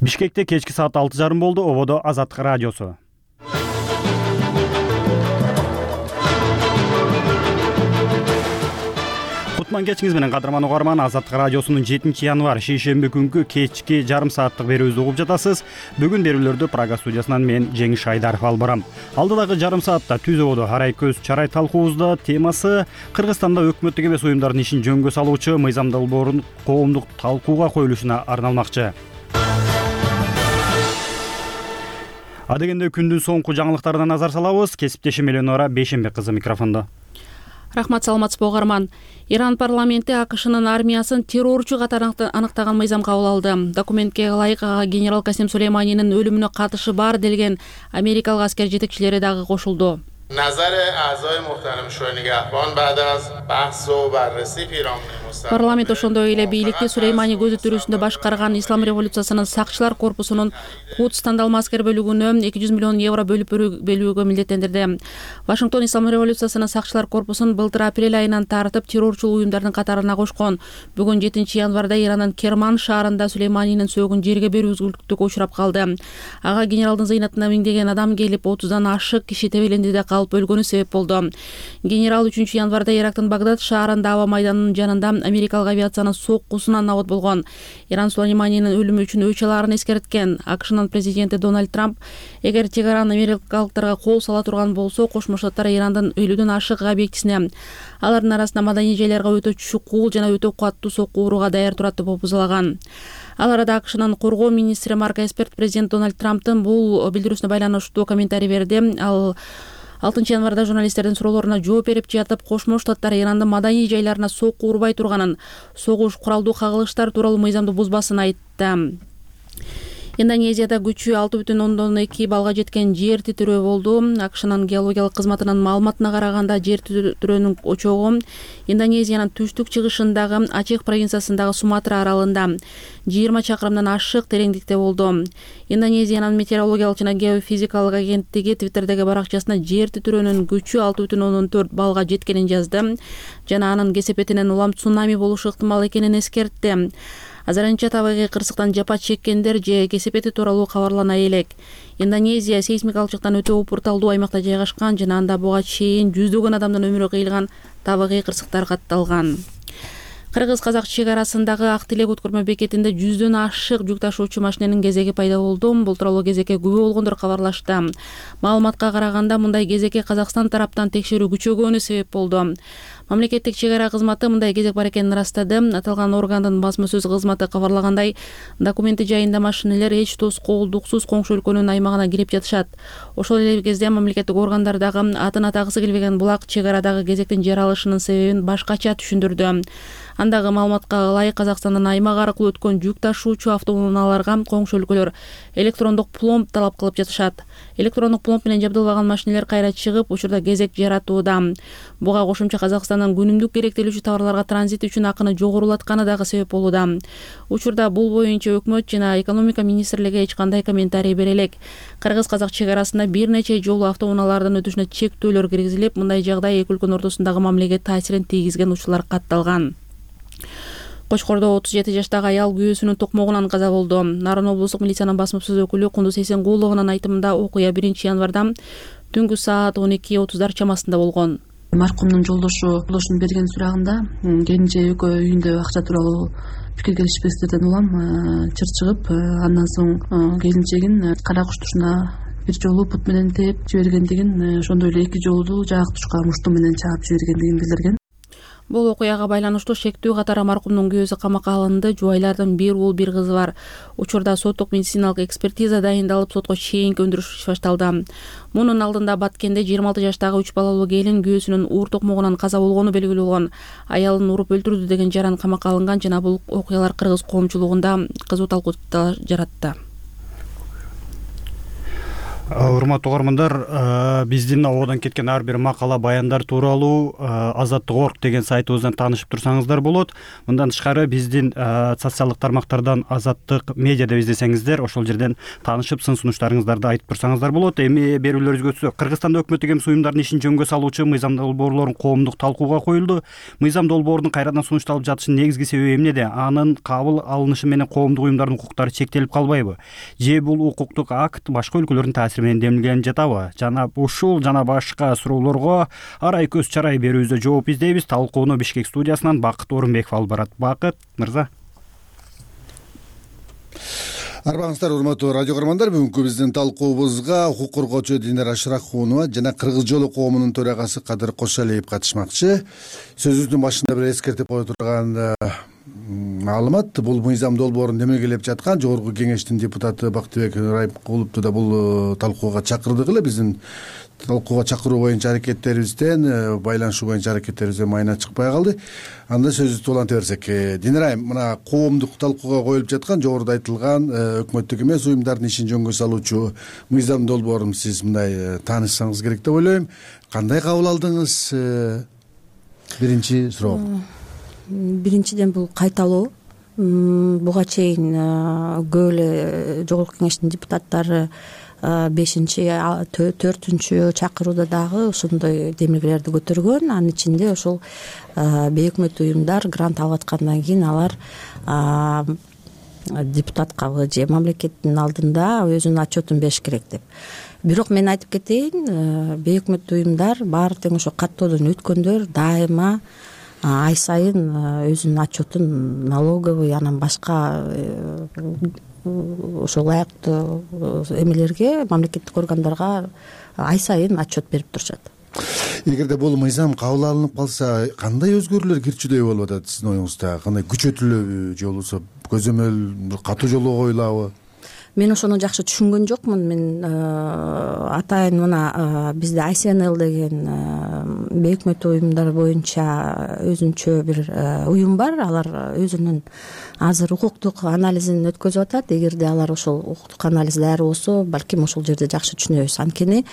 Бишкекте кечки саат 6:30 болду. Ободо Азаттык радиосу. Кутман кечиңиз менен кадырман угарман. Азаттык радиосунун 7-январ шейшемби күнгү кечки жарым сааттык берүүбүздү угуп жатасыз. Бүгүн берүүлөрдү Прага студиясынан мен Жеңиш Айдаров алып барам. Алдыдагы жарым саатта Түз ободо арай көз чарай талкуубузда темасы Кыргызстанда өкмөттүк эмес уюмдардын ишин жөнгө салуучу мыйзам долбоорунун коомдук талкууга коюлушуна арналмакчы. Адегенде күндүн соңку жаңылыктарына назар салабыз. Кесиптешим Эленора Бейшембек кызы микрофондо. Рахмат, саламатсызбы угарман. Иран парламенти АКШнын армиясын террорчу катары аныктаган мыйзам кабыл алды. Документке ылайык генерал Касим Сулейманинин өлүмүнө катышы бар делген америкалык аскер жетекчилери дагы кошулду. Парламент ошондой эле бийликти Сулеймани көзү тирүүсүндө башкарган Ислам революциясынын сакчылар корпусунун Кудс тандалма аскер бөлүгүнө 200 миллион евро бөлүп берүүгө милдеттендирди. Вашингтон Ислам революциясынын сакчылар корпусун былтыр апрель айынан тартып террорчу уюмдардын катарына кошкон. Бүгүн 7-январда Ирандын Керман шаарында Сулейманинин сөөгүн жерге берүү үзгүлтүккө учурап калды. Ага генералдын зыйнатына миңдеген адам келип 30дан ашык киши тебелендиде калып өлгөнү себеп болду. Генерал 3-январда Ирактын Багдад шаарында аба майданынын жанында америкалык авиациянын соккусунан абат болгон. Иран Сулейманинин өлүмү үчүн өч аларын эскерткен. АКШнын президенти Дональд Трамп эгер Тегеран америкалыктарга кол сала турган болсо, Кошмо Штаттар Ирандын 50дөн ашык объектисине, алардын арасында маданий жайларга өтө чукул жана өтө каттуу сокку урууга даяр турат деп опузалаган. Ал арада АКШнын коргоо министри Марк Эсперт президент Дональд Трамптын бул билдирүүсүнө байланыштуу комментарий берди. Ал 6-январда журналисттердин суроолоруна жооп берип жатып, Кошмо Штаттар Ирандын маданий жайларына сокку урбай турганын, согуш, куралдуу кагылыштар тууралуу мыйзамды бузбасын айтты. Индонезияда күчү 6,2 балга жеткен жер титирөө болду. АКШнын геологиялык кызматынын маалыматына караганда, жер титирөөнүн очогу Индонезиянын түштүк-чыгышындагы Ачех провинциясындагы Суматра аралында 20 чакырымдан ашык тереңдикте болду. Индонезиянын метеорологиялык жана геофизикалык агенттиги Твиттердеги баракчасына жер титирөөнүн күчү 6,4 балга жеткенин жазды жана анын кесепетинен улам цунами болушу ыктымал экенин эскертти. Азырынча табигый кырсыктан жапа чеккендер же кесепети тууралуу кабарлана элек. Индонезия сейсмикалык жактан өтө упурталдуу аймакта жайгашкан жана анда буга чейин жүздөгөн адамдын өмүрү кыйылган табигый кырсыктар катталган. Кыргыз-казак чек арасындагы Ак Тилек өткөрмө бекетинде 100дөн ашык жүк ташуучу машиненин кезеги пайда болду. Бул тууралуу кезекке күбө болгондор кабарлашты. Маалыматка караганда, мындай кезекке Казакстан тараптан текшерүү күчөгөнү себеп болду. Мамлекеттик чек ара кызматы мындай кезек бар экенин ырастады. Аталган органдын басма сөз кызматы кабарлагандай, документи жайында машинелер эч тоскоолдуксуз коңшу өлкөнүн аймагына кирип жатышат. Ошол эле кезде мамлекеттик органдар дагы атын атагысы келбеген булак чек арадагы кезектин жаралышынын себебин башкача түшүндүрдү. Андагы маалыматка ылайык, Казакстандын аймак аркылуу өткөн жүк ташуучу автоунааларга коңшу өлкөлөр электрондук пломб талап кылып жатышат. Электрондук пломб менен жабдылбаган машинелер кайра чыгып, учурда кезек жаратууда. Буга кошумча Казакстандын күнүмдүк керектелүүчү товарларга транзит үчүн акыны жогорулатканы дагы себеп болууда. Учурда бул боюнча өкмөт жана экономика министрлиги эч кандай комментарий бере элек. Кыргыз-казак чек арасында бир нече жолу автоунаалардын өтүшүнө чектөөлөр киргизилип, мындай жагдай эки өлкөнүн ортосундагы мамилеге таасирин тийгизген учурлар катталган. Кочкордо 37 жаштагы аял күйөөсүнүн токмогунан каза болду. Нарын облустук милициянын басма сөз өкүлү Кундуз Эсенгулованын айтымында, окуя 1-январда түнгү саат 12:30 чамасында болгон. Маркумдун жолдошун берген сурагында келинче экөө үйүндө акча тууралуу пикир келишпестиктерден улам чыр чыгып, андан соң келинчегин кара куштушуна бир жолу бут менен тээп жибергендигин, ошондой эле эки жолу жаак тушка мушту менен чаап жибергендигин билдирген. Бул окуяга байланыштуу шектүү катары маркумдун күйөөсү камакка алынды. Жубайлардын бир уул бир кызы бар. Учурда соттук медициналык экспертиза дайындалып, сотко чейинки өндүрүш башталды. Мунун алдында Баткенде 26 жаштагы 3 балалуу келин күйөөсүнүн уур токмогунан каза болгону белгилүү болгон. Аялын уруп өлтүрдү деген жаран камакка алынган жана бул окуялар кыргыз коомчулугунда кызуу талкуу жаратты. Урматтуу угармандар, биздин абодан кеткен ар бир макала, баяндар тууралуу Азаттык.org деген сайтыбыздан таанышып турсаңыздар болот. Мындан тышкары биздин социалдык тармактардан Азаттык медиа деп издесеңиздер, ошол жерден таанышып сын сунуштарыңыздарды айтып турсаңыздар болот. Эми берүүлөрүбүзгө түшсөк, Кыргызстанда өкмөттүк эмес уюмдардын ишин жөнгө салуучу мыйзам долбоорлорун коомдук талкууга коюлду. Мыйзам долбоорунун кайрадан сунушталып жатышынын негизги себеби эмнеде? Анын кабыл алынышы менен коомдук уюмдардын укуктары чектелип калбайбы? Же бул укуктук акт башка өлкөлөрдүн менен демилгенип жатабы? Жана ушул жана башка суроолорго арай көз чарай берүүбүздө жооп издейбиз. Талкууну Бишкек студиясынан Бакыт Орунбеков алып барат. Бакыт мырза. Арбаңыздар, урматтуу радио көрөрмандар, бүгүнкү биздин талкуубузга укук коргоочу Динара Ашракунова жана Кыргыз жолу коомунун төрагасы Кадыр Кошалиев катышмакчы. Сөзүбүздүн башында бир эскертип кое турган маалымат. Бул мыйзам долбоорун демилгелеп жаткан Жогорку кеңештин депутаты Бактыбек Райымкуловду да бул талкууга чакырдык эле. Биздин талкууга чакыруу боюнча аракеттерибизден, байланышуу боюнча аракеттерибизден майына чыкпай калды. Анда сөзүбүздү уланта берсек. Динара, мына коомдук талкууга коюлуп жаткан жогоруда айтылган өкмөттүк эмес уюмдардын ишин жөнгө салуучу мыйзам долбоорун сиз мындай таанышсаңыз керек деп ойлойм. Кандай кабыл алдыңыз? Биринчи суроо. Биринчиден бул кайталоо. Буга чейин көп эле жогорку кеңештин депутаттары 5-4 чакырууда дагы ошондой демилгелерди көтөргөн. Анын ичинде ошол бейөкмөттүү уюмдар грант алып аткандан кийин алар депутаткабы же мамлекеттин алдында өзүнүн отчетун бериш керек деп. Бирок мен айтып кетейин, бейөкмөттүү уюмдар баары тең ошо каттоодон өткөндөр дайыма ай сайын өзүнүн отчетун налоговый, анан башка ошол ылайыктуу эмелерге, мамлекеттик органдарга ай сайын отчет берип турушат. Эгерде бул мыйзам кабыл алынып калса, кандай өзгөрүүлөр кирчүдөй болуп атат сиздин оюңузда? Кандай күчөтүлөбү же болбосо көзөмөл катуу жолго коюлабы? Мен ошону жакшы түшүнгөн жокмун. Мен атайын мына бизде ICNL деген бейөкмөттүү уюмдар боюнча өзүнчө бир уюм бар. Алар өзүнүн азыр укуктук анализин өткөзүп атат. Эгерде алар ошол укуктук анализ даяр болсо, балким ошол жерде жакшы түшүнөбүз. Анткени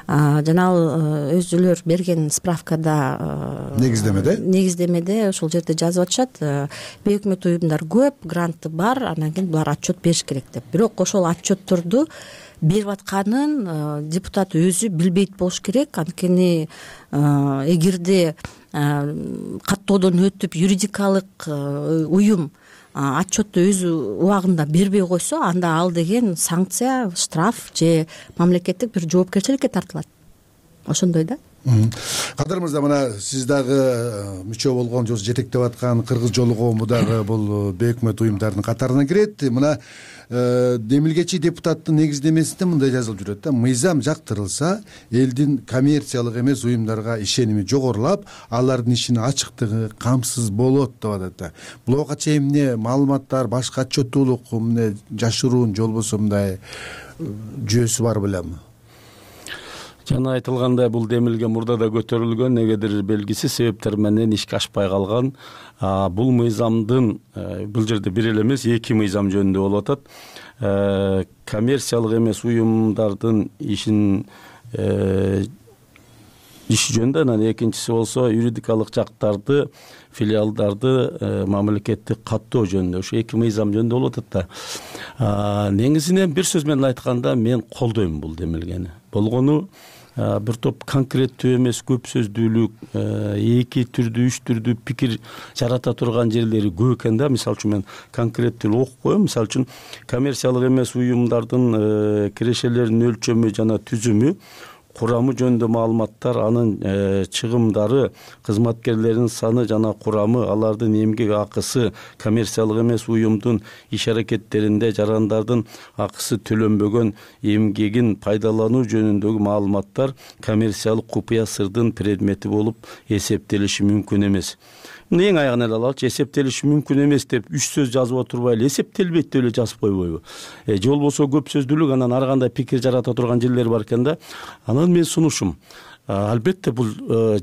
жанагы өзүлөр берген справкада, негиздемеде ошол жерде жазып атышат. Бейөкмөттүү уюмдар көп, гранты бар, анан кийин булар отчет бериш керек деп. Бирок ошол отчетторду берип атканын депутат өзү билбейт болуш керек. Анткени эгерде каттоодон өтүп юридикалык уюм отчетту өз убагында бербей койсо, анда ал деген санкция, штраф же мамлекеттик бир жоопкерчиликке тартылат. Ошондой да. Кадыр мырза, мына сиз дагы мүчө болгон же жетектеп аткан Кыргыз жолу коому дагы бул бейөкмөт уюмдардын катарына кирет. Мына демилгечи депутаттын негиздемесинде мындай жазылып жүрөт да: мыйзам жактырылса, элдин коммерциялык эмес уюмдарга ишеними жогорулап, алардын ишинин ачыктыгы камсыз болот деп атат да. Буга чейин эмне маалыматтар, башка отчеттуулук эмне жашыруун же болбосо мындай жүйөсү бар белемби? Жана айтылгандай, бул демилге мурда да көтөрүлгөн, негедир белгисиз себептер менен ишке ашпай калган. Бул мыйзамдын бул жерде бир эле эмес, 2 мыйзам жөнүндө болуп атат. Коммерциялык эмес уюмдардын ишин иш жөнүндө, анан экинчиси болсо юридикалык жактарды, филиалдарды мамлекеттик каттоо жөнүндө. Ошо 2 мыйзам жөнүндө болуп атат да. Негизинен бир сөз менен айтканда, мен колдойм бул демилгени. Болгону бир топ конкреттүү эмес, көп сөздүүлүк, 2 түрдүү, 3 түрдүү пикир жарата турган жерлери көп экен да. Мисалы үчүн мен конкреттүү окуп коем. Мисалы үчүн коммерциялык эмес уюмдардын кирешелеринин өлчөмү жана түзүмү, курамы жөнүндө маалыматтар, анын чыгымдары, кызматкерлердин саны жана курамы, алардын эмгек акысы, коммерциялык эмес уюмдун иш аракеттеринде жарандардын акысы төлөнбөгөн эмгегин пайдалануу жөнүндөгү маалыматтар коммерциялык купуя сырдын предмети болуп эсептелиши мүмкүн эмес. Эң аягын эле алалычы, эсептелиши мүмкүн эмес деп 3 сөз жазып отурбай эле эсептелбейт деп эле жазып койбойбу? Же болбосо көп сөздүүлүк, анан ар кандай пикир жарата турган жерлер бар экен да. Анан мен сунушум, албетте бул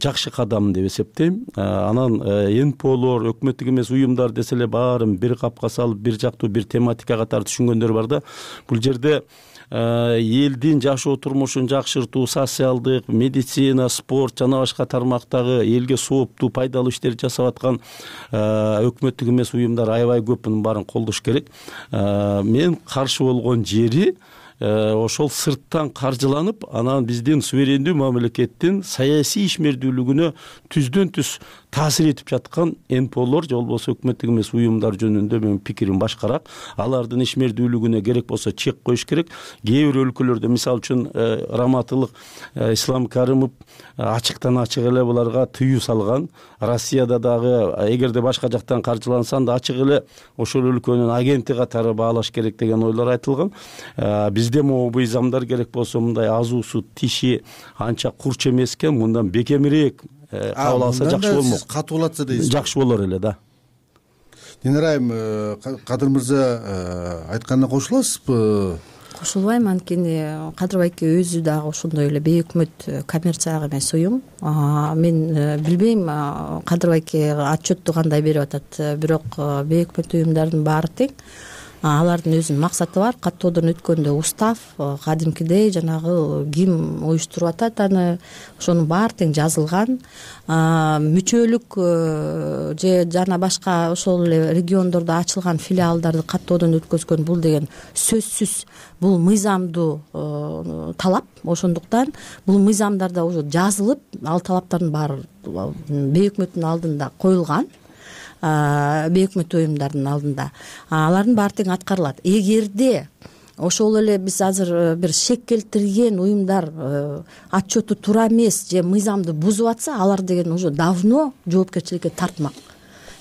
жакшы кадам деп эсептейм. Анан НПОлор, өкмөттүк эмес уюмдар десе эле баарын бир капка салып, бир жактуу бир тематика катары түшүнгөндөр бар да. Бул жерде элдин жашоо турмушун жакшыртуу, социалдык, медицина, спорт жана башка тармактагы элге сооптуу, пайдалуу иштерди жасап аткан өкмөттүк эмес уюмдар аябай көп, мунун баарын колдош керек. Мен каршы болгон жери ошол сырттан каржыланып, анан биздин суверендүү мамлекеттин саясий ишмердүүлүгүнө түздөн түз таасир этип жаткан НПОлор же болбосо өкмөттүк эмес уюмдар жөнүндө менин пикирим башкараак. Алардын ишмердүүлүгүнө керек болсо чек коюш керек. Кээ бир өлкөлөрдө, мисалы үчүн Раматылык Ислам Карымов ачыктан ачык эле буларга тыюу салган. Россияда дагы эгерде башка жактан каржыланса да ачык эле ошол өлкөнүн агенти катары баалаш керек деген ойлор айтылган. Бизде могу мыйзамдар керек болсо мындай азуусу тиши анча курч эмес экен, мындан бекемирээк кабыл алса жакшы болмок. Катуулатса дейсиз. Жакшы болор эле да. Динара айым, Кадыр мырза айтканына кошуласызбы? Кошулбайм, анткени Кадыр байке өзү дагы ошондой эле бейөкмөт коммерциялык эмес уюм. Мен билбейм Кадыр байке отчетту кандай берип атат, бирок бейөкмөт уюмдардын баары тең. Алардын өзүнүн максаты бар. Каттоодон өткөндө устав кадимкидей жанагы ким уюштуруп атат аны, ошонун баары тең жазылган. Мүчөлүк же жана башка ошол эле региондордо ачылган филиалдарды каттоодон өткөзгөн бул деген сөзсүз бул мыйзамдуу талап. Ошондуктан бул мыйзамдарда уже жазылып, ал талаптардын баары бейөкмөттүн алдында коюлган. Бейөкмөт уюмдардын алдында алардын баары тең аткарылат. Эгерде ошол эле биз азыр бир шек келтирген уюмдар отчету туура эмес же мыйзамды бузуп атса, алар деген уже давно жоопкерчиликке тартмак.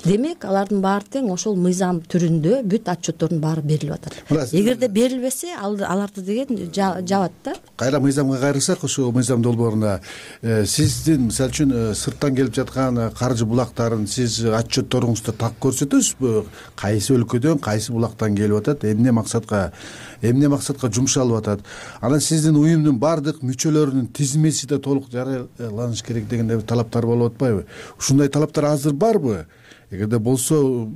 Демек, алардын баары тең ошол мыйзам түрүндө бүт отчеттордун баары берилип атат. Эгерде берилбесе, аларды деген жабат да. Кайра мыйзамга кайрылсак, ошол мыйзам долбооруна сиздин мисалы үчүн сырттан келип жаткан каржы булактарын сиз отчетторуңузда так көрсөтөсүзбү? Кайсы өлкөдөн, кайсы булактан келип атат, эмне максатка жумшалып атат? Анан сиздин уюмдун баардык мүчөлөрүнүн тизмеси да толук жарыяланыш керек деген талаптар болуп атпайбы? Ушундай талаптар азыр барбы? Эгерде болсо,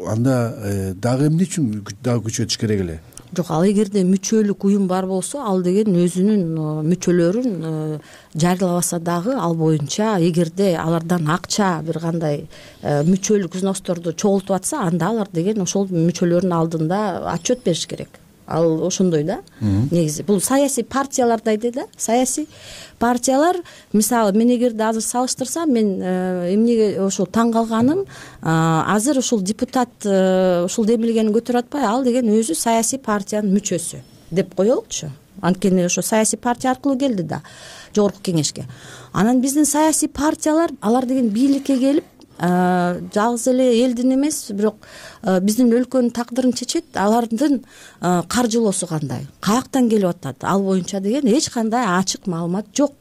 анда дагы эмне үчүн дагы күчөтүш керек эле? Жок, ал эгерде мүчөлүк уюм бар болсо, ал деген өзүнүн мүчөлөрүн жарыялабаса дагы ал боюнча, эгерде алардан акча бир кандай мүчөлүк взносторду чогултуп атса, анда алар деген ошол мүчөлөрдүн алдында отчет бериш керек. Ал ошондой да. Негизи бул саясий партиялардай да. Саясий партиялар, мисалы, мен эгерде азыр салыштырсам, мен эмнеге ошол таң калганым, азыр ушул депутат ушул демилгени көтөрүп атпай, ал деген өзү саясий партиянын мүчөсү деп коелучу. Анткени ошо саясий партия аркылуу келди да жогорку кеңешке. Анан биздин саясий партиялар, алар деген бийликке келип, жалгыз эле элдин эмес, бирок биздин өлкөнүн тагдырын чечет. Алардын каржылоосу кандай, каяктан келип атат, ал боюнча деген эч кандай ачык маалымат жок.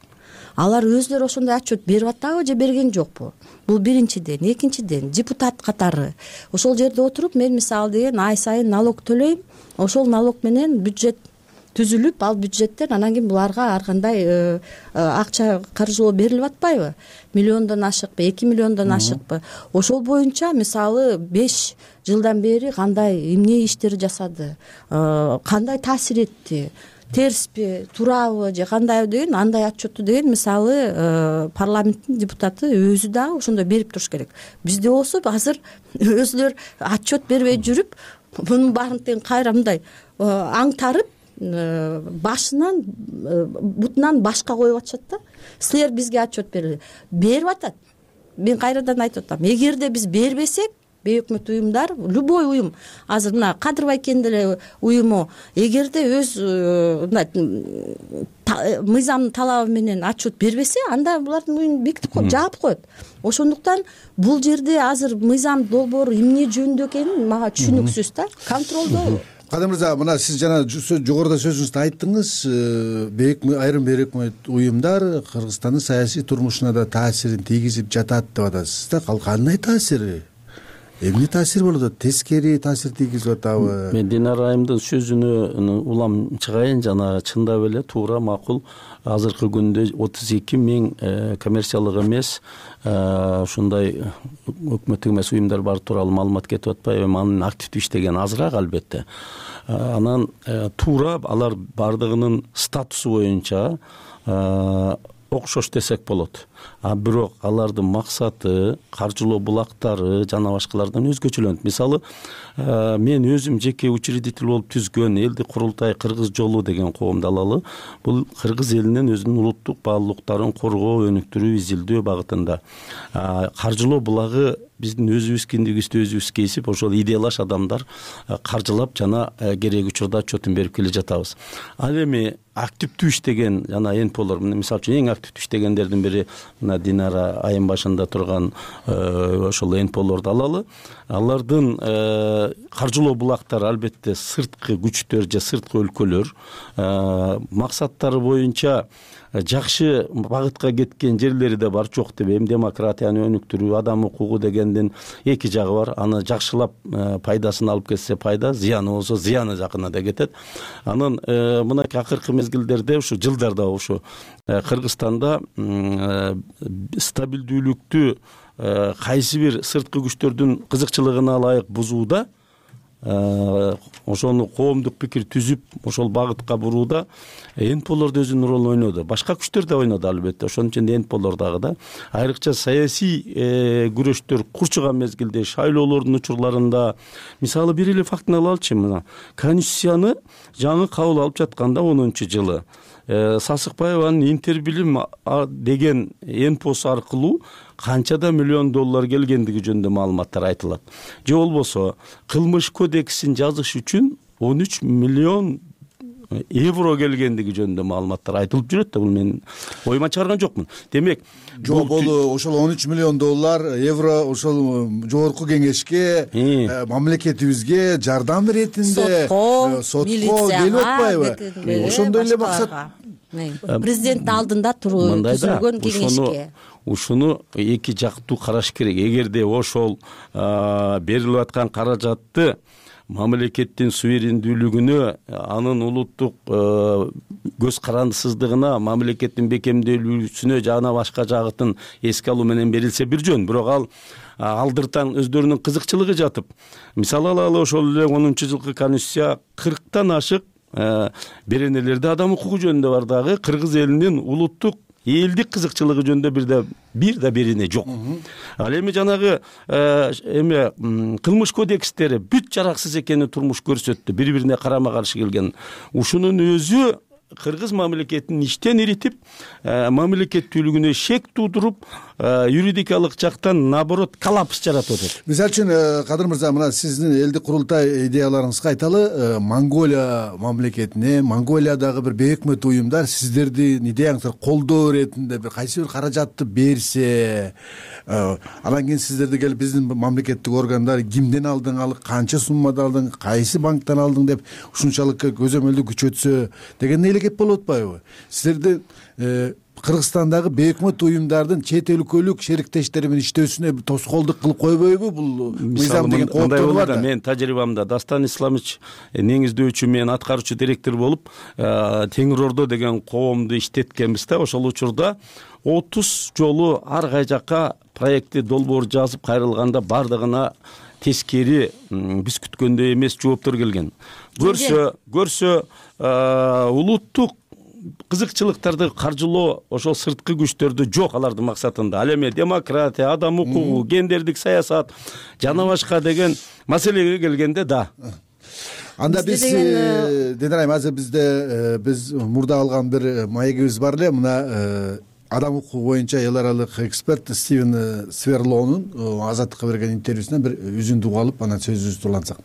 Алар өзлөрү ошондой отчет берип атабы же берген жокпу? Бул биринчиден. Экинчиден, депутат катары ошол жерде отуруп, мен мисалы деген ай сайын налог төлөйм. Ошол налог менен бюджет түзүлүп, ал бюджеттен анан кийин буларга ар кандай акча каржылоо берилип атпайбы? Миллиондон ашыкпы, 2 миллиондон ашыкпы? Ошол боюнча мисалы 5 жылдан бери кандай эмне иштер жасады, кандай таасир этти, терспи, туурабы же кандайбы деген андай отчетту деген мисалы парламенттин депутаты өзү дагы ошондой берип туруш керек. Бизде болсо азыр өзүлөр отчет бербей жүрүп, мунун баарын тең кайра мындай аңтарып, башынан бутунан башка коюп атышат да. Силер бизге отчет берип атат. Мен кайрадан айтып атам, эгерде биз бербесек, бейөкмөт уюмдар, любой уюм, азыр мына Кадыр байкенин деле уюму, эгерде өз мыйзамдын талабы менен отчет бербесе, анда булардын уюмун бекитип коюп, жаап коет. Ошондуктан бул жерде азыр мыйзам долбоору эмне жөнүндө экени мага түшүнүксүз да. Контролдоо. Кадыр мырза, мына сиз жана жогоруда сөзүңүздө айттыңыз, айрым бейөкмөт уюмдар Кыргызстандын саясий турмушуна да таасирин тийгизип жатат деп атасыз да. Кандай таасири? эмне таасир болот атат, тескери таасир тийгизип атабы? Мен Динара айымдын сөзүнө улам чыгайын. Жана чындап эле туура, макул. Азыркы күндө 32 000 коммерциялык эмес ушундай өкмөттүк эмес уюмдар бар тууралуу маалымат кетип атпайбы? Анын активдүү иштеген азыраак албетте. Анан туура алар бардыгынын статусу боюнча окшош десек болот. А бирок алардын максаты, каржылоо булактары жана башкалардан өзгөчөлөнөт. Мисалы, мен өзүм жеке учредитель болуп түзгөн Элдик курултай Кыргыз жолу деген коомду алалы. Бул кыргыз элинин өзүнүн улуттук баалуулуктарын коргоо, өнүктүрүү, изилдөө багытында. Каржылоо булагы биздин өзүбүз киндигибизди өзүбүз кесип, ошол идеялаш адамдар каржылап жана керек учурда отчетун берип келе жатабыз. Ал эми активдүү иштеген жана НПОлор, мисалы үчүн эң активдүү иштегендердин бири мына Динара айым башында турган ошол НПОлорду алалы. Алардын каржылоо булактары албетте сырткы күчтөр же сырткы өлкөлөр максаттары боюнча жакшы багытка кеткен жерлери да бар, жок дебейм. Демократияны өнүктүрүү, адам укугу дегендин эки жагы бар. Аны жакшылап пайдасын алып кетсе пайда, зыяны болсо зыяны жакына да кетет. Анан мынакей акыркы мезгилдерде ушу жылдарда ушу Кыргызстанда стабилдүүлүктү кайсы бир сырткы күчтөрдүн кызыкчылыгына ылайык бузууда, ошону коомдук пикир түзүп, ошол багытка бурууда НПОлор да өзүнүн ролун ойноду. Башка күчтөр да ойноду албетте. Ошонун ичинде НПОлор дагы да. Айрыкча саясий күрөштөр курчуган мезгилде, шайлоолордун учурларында, мисалы бир эле фактыны алалычы, мына Конституцияны жаңы кабыл алып жатканда 10-жылы Сасыкбаеванын Интербилим деген НПОсу аркылуу канчада миллион доллар келгендиги жөнүндө маалыматтар айтылат. Же болбосо кылмыш кодексин жазыш үчүн 13 миллион евро келгендиги жөнүндө маалыматтар айтылып жүрөт да. Бул мен оюма чыгарган жокмун. Демек, жок, бул ошол 13 миллион доллар, евро ошол жогорку кеңешке, мамлекетибизге жардам иретинде, сотко келип атпайбы? Ошондой эле максат. Президенттин алдында түзүлгөн кеңешке. Ушуну эки жактуу караш керек. Эгерде ошол берилип аткан каражатты мамлекеттин суверендүүлүгүнө, анын улуттук көз карандысыздыгына, мамлекеттин бекемделүүсүнө жана башка жагытын эске алуу менен берилсе бир жөн. Бирок ал алдыртан өздөрүнүн кызыкчылыгы жатып, мисалы алалы, ошол эле 10-жылкы конституция 40тан ашык беренелерде адам укугу жөнүндө бар дагы, кыргыз элинин улуттук элдик кызыкчылыгы жөнүндө бир да берене жок. Ал эми жанагы кылмыш кодекстери бүт жараксыз экенин турмуш көрсөттү, бири-бирине карама-каршы келген. Ушунун өзү кыргыз мамлекетин иштен иритип, мамлекеттүүлүгүнө шек туудуруп, юридикалык жактан наоборот коллапс жаратып атат. Мисалы үчүн, Кадыр мырза, мына сиздин Элдик курултай идеяларыңызга айталы, Монголия мамлекетине, Монголиядагы бир бейөкмөт уюмдар сиздердин идеяңызды колдоо иретинде бир кайсы бир каражатты берсе, анан кийин сиздерди келип биздин мамлекеттик органдар кимден алдың, канча суммада алдың, кайсы банктан алдың деп ушунчалык көзөмөлдү күчөтсө деген эле кеп болуп атпайбы? Сиздерди Кыргызстандагы бейөкмөт уюмдардын чет өлкөлүк шериктештери менен иштөөсүнө тоскоолдук кылып койбойбу бул мыйзам деген кооптор бар да? Мен тажрыйбамда Дастан Исламович негиздөөчү, мен аткаруучу директор болуп Теңир Ордо деген коомду иштеткенбиз да. Ошол учурда 30 жолу ар кай жакка проектти долбоор жазып кайрылганда бардыгына тескери биз күткөндөй эмес жооптор келген. Көрсө улуттук кызыкчылыктарды каржылоо ошол сырткы күчтөрдү жок алардын максатында. Ал эми демократия, адам укугу, гендердик саясат жана башка деген маселеге келгенде да. Анда биз Динара айым, азыр биз мурда алган бир маегибиз бар эле. Мына адам укугу боюнча эл аралык эксперт Стивен Сверлоонун Азаттыкка берген интервьюсунан бир үзүндү угуп алып, анан сөзүбүздү улантсак.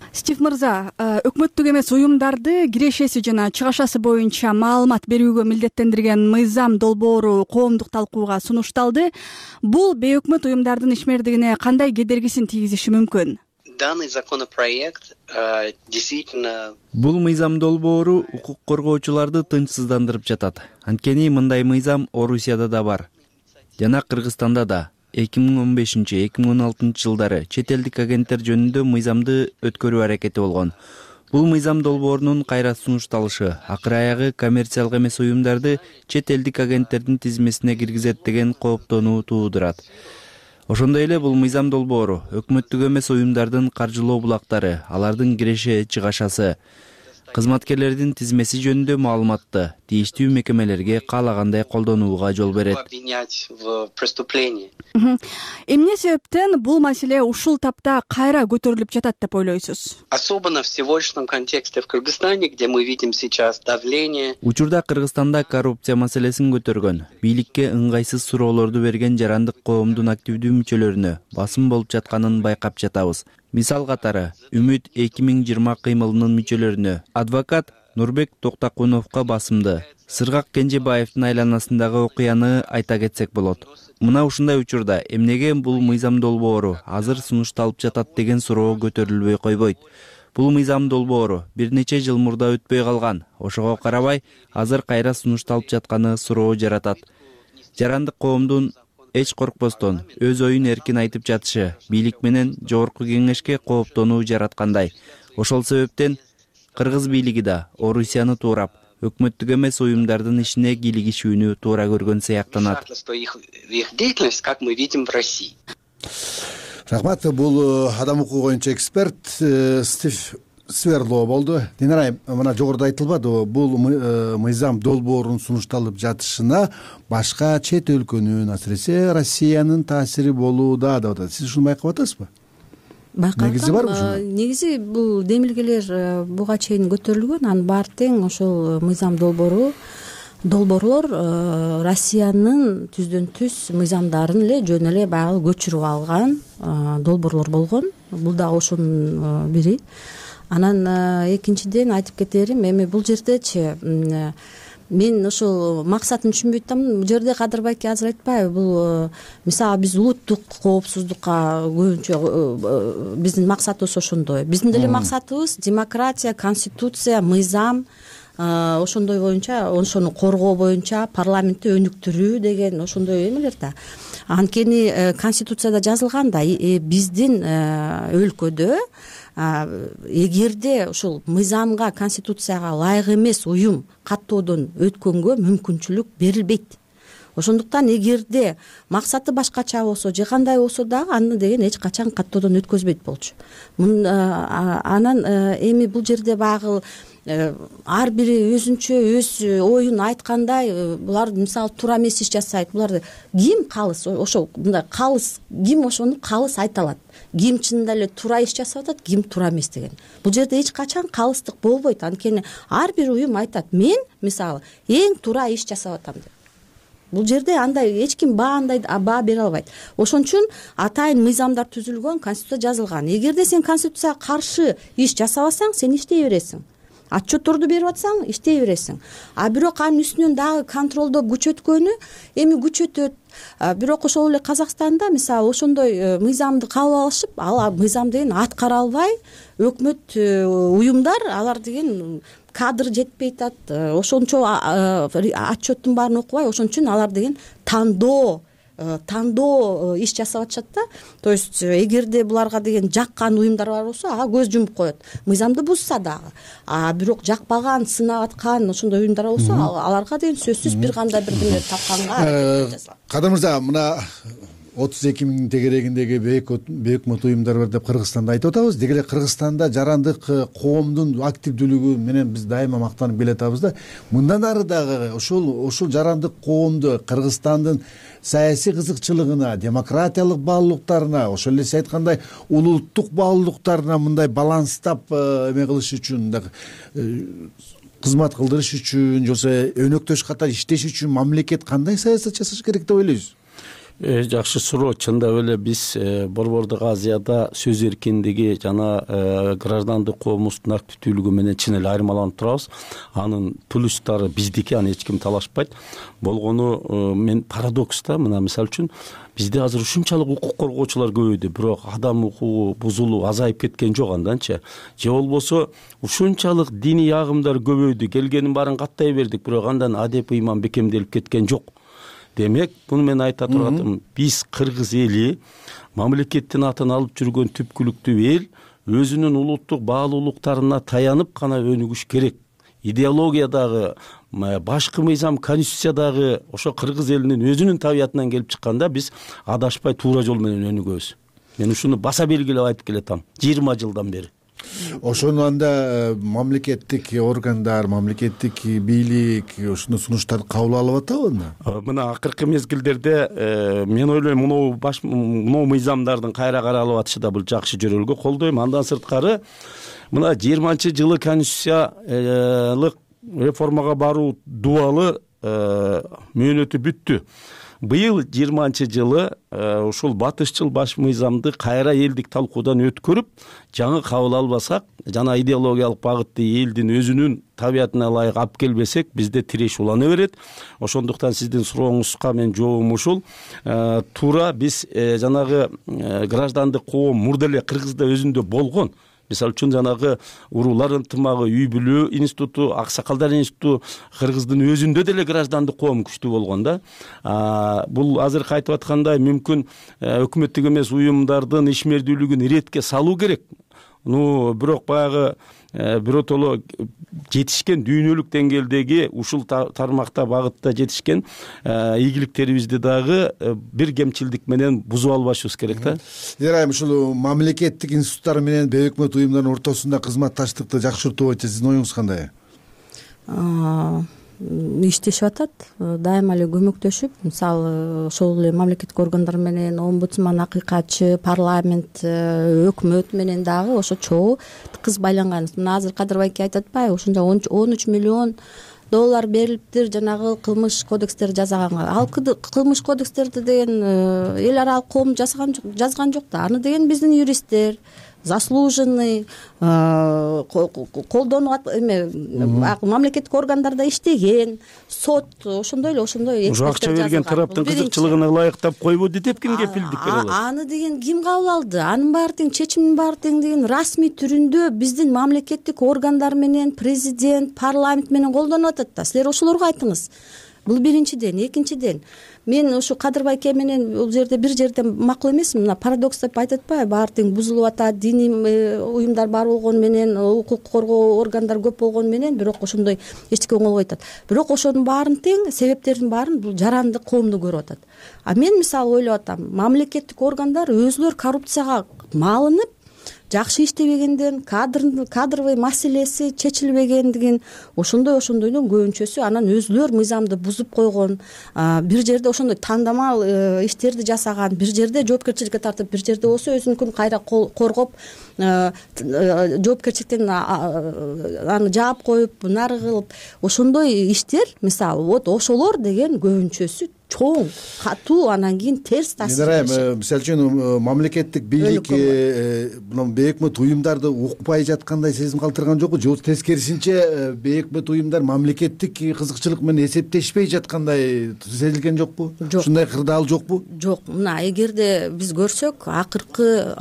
Стив мырза, өкмөттүк эмес уюмдарды кирешеси жана чыгашасы боюнча маалымат берүүгө милдеттендирген мыйзам долбоору коомдук талкууга сунушталды. Бул бейөкмөт уюмдардын ишмердигине кандай кедергисин тийгизиши мүмкүн? Данный законопроект действительно... Бул мыйзам долбоору укук коргоочуларды тынчсыздандырып жатат. Анткени мындай мыйзам Орусияда да бар. Жана Кыргызстанда да. 2015-2016 жылдары чет элдик агенттер жөнүндө мыйзамды өткөрүү аракети болгон. Бул мыйзам долбоорунун кайра сунушталышы акыры аягы коммерциялык эмес уюмдарды чет элдик агенттердин тизмесине киргизет деген кооптонуу туудурат. Ошондой эле бул мыйзам долбоору өкмөттүк эмес уюмдардын каржылоо булактары, алардын киреше чыгашасы, кызматкерлердин тизмеси жөнүндө маалыматты тийиштүү мекемелерге каалагандай колдонууга жол берет. Эмне себептен бул маселе ушул тапта кайра көтөрүлүп жатат деп ойлойсуз? Особенно в сегодняшнем контексте в Кыргызстане, где мы видим сейчас давление. Учурда Кыргызстанда коррупция маселесин көтөргөн, бийликке ыңгайсыз суроолорду берген жарандык коомдун активдүү мүчөлөрүнө басым болуп жатканын байкап жатабыз. Мисал катары, Үмүт 2020 кыймылынын мүчөлөрүнө адвокат Нурбек Токтакуновго басымды, Сыргак Кенжебаевдин айланасындагы окуяны айта кетсек болот. Мына ушундай учурда эмнеге бул мыйзам долбоору азыр сунушталып жатат деген суроо көтөрүлбөй койбойт. Бул мыйзам долбоору бир нече жыл мурда өтпөй калган. Ошого карабай, азыр кайра сунушталып жатканы суроо жаратат. Жарандык коомдун эч коркпостон өз оюн эркин айтып жатышы бийлик менен жогорку кеңешке кооптонуу жараткандай. Ошол себептен кыргыз бийлиги да Орусияны туурап, өкмөттүк эмес уюмдардын ишине кийлигишүүнү туура көргөн сыяктанат. Рахмат. Бул адам укугу боюнча эксперт Стив Сверлоо болду. Динара айым, мына жогоруда айтылбадыбы, бул мыйзам долбоорунун сунушталып жатышына башка чет өлкөнүн, асыресе Россиянын таасири болууда деп атат. Сиз ушуну байкап атасызбы? Байкап Негизи барбы ушунун? Негизи бул демилгелер буга чейин көтөрүлгөн, анын баары тең ошол мыйзам долбоорлор Россиянын түздөн түз мыйзамдарын эле жөн эле баягы көчүрүп алган долбоорлор болгон. Бул дагы ошонун бири. Анан экинчиден айтып кетерим, эми бул жердечи мен ошол максатын түшүнбөй атам. Бул жерде Кадыр байке азыр айтпайбы, бул мисалы биз улуттук коопсуздукка көбүнчө биздин максатыбыз ошондой. Биздин деле максатыбыз демократия, конституция, мыйзам, ошондой боюнча, ошону коргоо боюнча парламентти өнүктүрүү деген ошондой эмелер да. Анткени конституцияда жазылган да, биздин өлкөдө эгерде ушул мыйзамга, конституцияга ылайык эмес уюм каттоодон өткөнгө мүмкүнчүлүк берилбейт. Ошондуктан эгерде максаты башкача болсо же кандай болсо дагы аны деген эч качан каттоодон өткөзбөйт болчу. Анан эми бул жерде баягы ар бири өзүнчө өз оюн айткандай, булар мисалы туура эмес иш жасайт. Буларды ким калыс, ошол мындай калыс ким ошону калыс айта алат. Ким чынында эле туура иш жасап атат, ким туура эмес деген. Бул жерде эч качан калыстык болбойт. Анткени ар бир уюм айтат, мен мисалы эң туура иш жасап атам деп. Бул жерде андай эч ким баа бере албайт. Ошон үчүн атайын мыйзамдар түзүлгөн, конституция жазылган. Эгерде сен конституцияга каршы иш жасабасаң, сен иштей бересиң. Отчетторду берип атсаң, иштей бересиң. Бирок анын үстүнөн дагы контролдоп күчөткөнү эми күчөтөт. Бирок ошол эле Казакстанда мисалы ошондой мыйзамды кабыл алышып, ал мыйзам деген аткара албай, өкмөт уюмдар алар деген кадр жетпей атат. Ошончо отчеттун баарын окубай, ошон үчүн алар деген тандоо иш жасап атышат да. То есть эгерде буларга деген жаккан уюмдар бар болсо, ага көз жумуп коет. Мыйзамды бузса дагы. Бирок жакпаган, сынап аткан ошондой уюмдар болсо, аларга деген сөзсүз бир кандай бир нерсе тапканга. Кадыр мырза, мына 32 миңдин тегерегиндеги бейөкмөт уюмдар бар деп Кыргызстанда айтып атабыз. Деги эле Кыргызстанда жарандык коомдун активдүүлүгү менен биз дайыма мактанып келе атабыз да. Мындан ары дагы ушул жарандык коомду Кыргызстандын саясий кызыкчылыгына, демократиялык баалуулуктарына, ошол эле сиз айткандай улуттук баалуулуктарына мындай баланстап эме кылыш үчүн, кызмат кылдырыш үчүн, же болбосо өнөктөш катары иштеш үчүн мамлекет кандай саясат жасаш керек деп ойлойсуз? Жакшы суроо. Чындап эле биз Борбордук Азияда сөз эркиндиги жана граждандык коомубуздун активдүүлүгү менен чын эле айырмаланып турабыз. Анын плюстары биздики, аны эч ким талашпайт. Болгону мен парадокс да, мына мисалы үчүн бизде азыр ушунчалык укук коргоочулар көбөйдү, бирок адам укугу бузулуу азайып кеткен жок анданчы. Же болбосо ушунчалык диний агымдар көбөйдү, келгенин баарын каттай бердик, бирок андан адеп ыйман бекемделип кеткен жок демек буну мен айта тургатым, биз кыргыз эли мамлекеттин атын алып жүргөн түпкүлүктүү эл өзүнүн улуттук баалуулуктарына таянып гана өнүгүш керек. Идеологиядагы, башкы мыйзам, конституциядагы ошо кыргыз элинин өзүнүн табиятынан келип чыкканда биз адашпай туура жол менен өнүгөбүз. Мен ушуну баса белгилеп айтып келатам 20 жылдан бери. Ошону анда мамлекеттик органдар, мамлекеттик бийлик ушуну сунуштарды кабыл алып атабы? Мына акыркы мезгилдерде мен ойлойм мынау мыйзамдардын кайра каралып атышы да бул жакшы жөрөлгө колдойм. Андан сырткары мына 20-жылы конституциялык реформага баруу дубалы мөөнөтү бүттү. Быйыл 20-жылы ушул батышчыл баш мыйзамды кайра элдик талкуудан өткөрүп, жаңы кабыл албасак, жана идеологиялык багытты элдин өзүнүн табиятына ылайык алып келбесек, бизде тиреш улана берет. Ошондуктан сиздин сурооңузга мен жообум ушул. Туура биз жанагы граждандык коом мурда эле Кыргызда өзүндө болгон. Мисалы үчүн жанагы уруулар ынтымагы, үй бүлүү институту, аксакалдар институту Кыргыздын өзүндө деле граждандык коом күчтүү болгон да. Бул азыр айтып аткандай мүмкүн өкмөттүк эмес уюмдардын ишмердүүлүгүн иретке салуу керек. Бирок баягы биротоло жетишкен дүйнөлүк деңгээлдеги ушул тармакта багытта жетишкен ийгиликтерибизди дагы бир кемчилдик менен бузуп албашыбыз керек да. Динара, ушул мамлекеттик институттар менен бейөкмөт уюмдардын ортосунда кызматташтыкты жакшыртуу боюнча сиздин оюңуз кандай? Иштешип атат, дайыма эле көмөктөшүп, мисалы ошол эле мамлекеттик органдар менен, омбудсман, акыйкатчы, парламент, өкмөт менен дагы ошо чогуу тыкыз байланганбыз. Мына азыр Кадырбай айтып атпайбы, ошондо 13 миллион доллар берилиптир жанагы кылмыш кодекстерди жасаганга. Ал кылмыш кодекстерди деген эл аралык коом жазган жок да. Аны деген биздин юристтер, заслуженный, колдонуп мамлекеттик органдарда иштеген, сот ошондой эле ошо акча берген тараптын кызыкчылыгына ылайыктап койбойду деп ким кепилдик бере алат? Аны деген ким кабыл алды? Анын баары тең, чечимдин баары тең деген расмий түрүндө биздин мамлекеттик органдар менен, президент, парламент менен колдонуп атат да. Силер ошолорго айтыңыз. Бул биринчиден. Экинчиден, мен ушу Кадырбай эке менен бул жерде бир жерден макул эмесмин. Мына парадокс деп айтып атпайбы, баары тең бузулуп атат, диний уюмдар бар болгону менен, укук коргоо органдар көп болгону менен, бирок ошондой эчтеке оңолбой атат. Бирок ошонун баарын тең, себептердин баарын бул жарандык коомду көрүп атат. Мен мисалы ойлоп атам, мамлекеттик органдар өзүлөр коррупцияга малынып, жакшы иштебегенден, кадровый маселеси чечилбегендигин, ошондойдун көбүнчөсү анан өзүлөр мыйзамды бузуп койгон, бир жерде ошондой тандамал иштерди жасаган, бир жерде жоопкерчиликке тартып, бир жерде болсо өзүнүкүн кайра коргоп, жоопкерчиликтен аны жаап коюп, нары кылып, ошондой иштер, мисалы, вот ошолор деген көбүнчөсү чоң, катуу, анан кийин терс таасир. Мисалы үчүн мамлекеттик бийлик бейөкмөт уюмдарды укпай жаткандай сезим калтырган жокпу? Же тескерисинче бейөкмөт уюмдар мамлекеттик кызыкчылык менен эсептешпей жаткандай сезилген жокпу? Ушундай кырдаал жокпу? Жок. Мына эгерде биз көрсөк, акыркы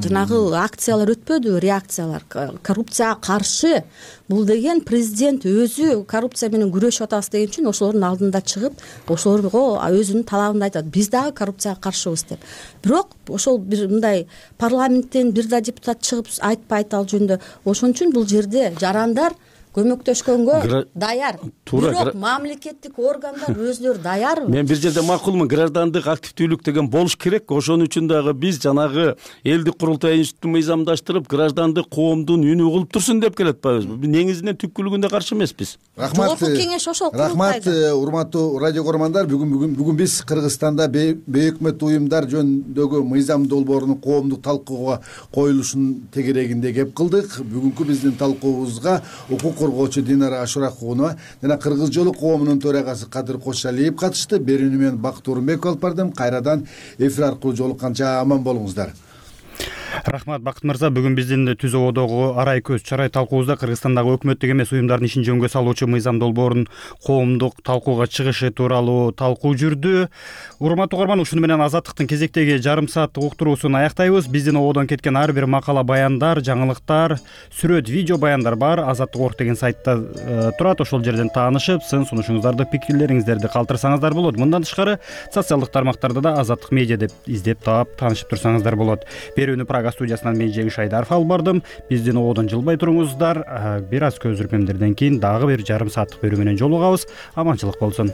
жанагы акциялар өтпөдүбү, реакциялар, коррупцияга каршы. Бул деген президент өзү коррупция менен күрөшүп атабыз деген үчүн ошолордун алдында чыгып, ошолорго өзүнүн талабын айтат. Биз дагы коррупцияга каршыбыз деп. Бирок ошол бир мындай парламенттен бир да депутат чыгып айтпайт ал жөнүндө. Ошон үчүн бул жерде жарандар көмөктөшкөнгө даяр. Бирок мамлекеттик органдар өзүлөрү даярбы? Мен бир жерде макулмун, граждандык активдүүлүк деген болуш керек. Ошон үчүн дагы биз жанагы элдик курултай институтун мыйзамдаштырып, граждандык коомдун үнү кылып турсун деп келатпайбызбы? Негизинен түпкүлүгүндө каршы эмеспиз. Жогорку кеңеш ошол курултайда. Рахмат, урматтуу радио көрөрмандар. Бүгүн биз Кыргызстанда бейөкмөт уюмдар жөнүндөгү мыйзам долбоорунун коомдук талкууга коюлушунун тегерегинде кеп кылдык. Бүгүнкү биздин талкуубузга укук коргоочу Динара Ашуракунова жана Кыргыз жолу коомунун төрагасы Кадыр Кошалиев катышты. Берүүнү мен Бакыт Орунбеков алып бардым. Кайрадан эфир аркылуу жолукканча аман болуңуздар. Рахмат, Бакыт мырза. Бүгүн биздин Түз ободогу арай көз чарай талкуубузда Кыргызстандагы өкмөттүк эмес уюмдардын ишин жөнгө салуучу Мыйзам Долбоордун коомдук талкууга чыгышы тууралуу талкуу жүрдү. Урматтуу угарман, ушуну менен Азаттыктын кезектеги жарым сааттык уктуруусун аяктайбыз. Биздин ободон кеткен ар бир макала, баяндар, жаңылыктар, сүрөт, видео баяндар бар. Азаттык.org деген сайтта турат. Ошол жерден таанышып, сын сунушуңуздарды, пикирлериңиздерди калтырсаңыздар болот. Мындан тышкары социалдык тармактарда да Азаттык медиа деп издеп таап таанышып турсаңыздар болот. Берүүнү Прага студиясынан мен Жеңиш Айдаров алып бардым. Биздин ободон жылбай туруңуздар. Бир аз көзүргөндөрдөн кийин дагы бир жарым сааттык берүү менен жолугабыз. Аманчылык болсун.